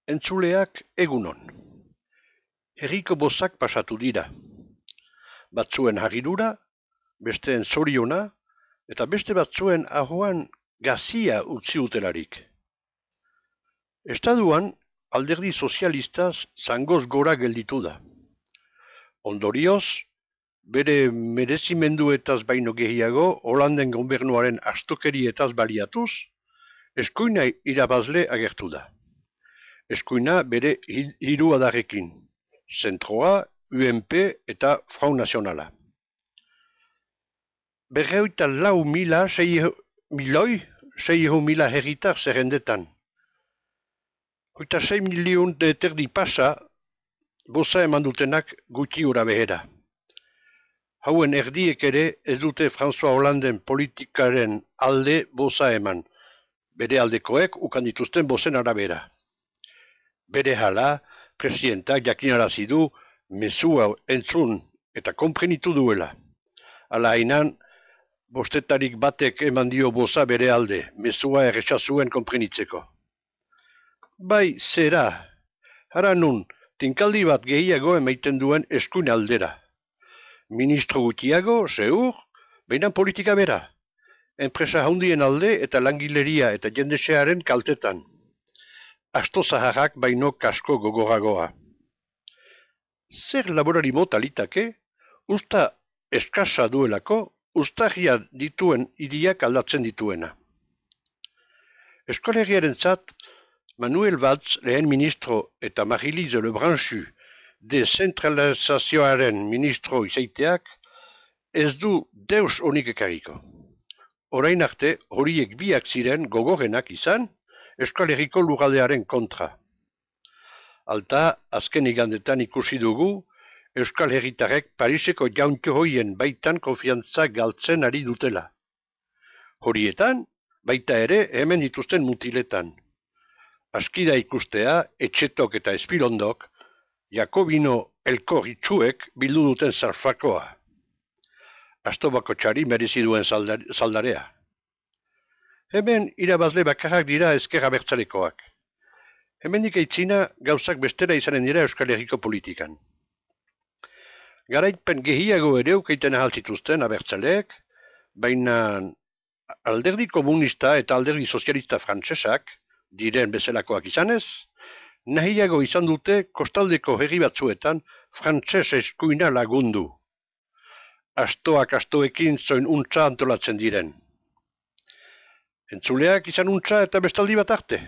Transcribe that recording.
Entzuleak egunon. Herriko bozak pasatu dira. Batzuen harridura, besteen zoriona, eta beste batzuen ahoan gazia utzi utelarik. Estaduan, alderdi sozialistaz zangoz gora gelditu da. Ondorioz, bere merezimenduetaz baino gehiago, Holanden gobernuaren astokerietaz baliatuz, eskuina irabazle agertu da. Eskuina bere hiru adarrekin, Zentroa, UNP eta Front Nazionala. 404.600 herritar zerrendetan. 6 milion terdi pasa, boza eman dutenak gutxi ura behera. Hauen erdiek ere ez dute François Hollanden politikaren alde boza eman, bere aldekoek ukan dituzten bozen arabera. Bere hala, presidentak jakinarazi du mezua entzun eta konprenitu duela. Hala hainan, bostetarik batek eman dio boza bere alde, mezua errexazuen konprenitzeko. Bai, zera, hara nun, tinkaldi bat gehiago emaiten duen eskuin aldera. Ministro gutiago, zeur, behinan politika bera. Enpresa handien alde eta langileria eta jendesearen kaltetan. Asto zaharrak baino kasko gogoragoa. Zer laborari mota litake, usta eskasa duelako, ustarria dituen hiriak aldatzen dituena. Eskolegiaren zat, Manuel Valls lehen ministro eta Marie-Lise Lebranchu dezentralizazioaren ministro izaiteak ez du deus onik ekarriko. Orain arte horiek biak ziren gogorrenak izan, Euskal Herriko lurraldearen kontra. Alta, azken igandetan ikusi dugu, Euskal Herritarrek Pariseko jauntxo hoien baitan konfiantza galtzen ari dutela. Horietan, baita ere hemen dituzten mutiletan. Askida ikustea, Etxetok eta Espirondok, Jakobino elkor itxuek bildu duten zarfakoa. Astobako txari merezi duen zaldarea. Hemen irabazle bakarrak dira ezker abertzalekoak. Hemendik aitzina gauzak bestera izanen dira Euskal Herriko politikan. Garaipen gehiago ere ukeiten ahaltzituzten abertzaleek, baina alderdi komunista eta alderdi sozialista frantsesak, diren bezalakoak izanez, nahiago izan dute kostaldeko herri batzuetan frantses eskuina lagundu. Astoak astoekin zoin untza antolatzen diren. Entzuleak izan untza eta bestaldi bat arte.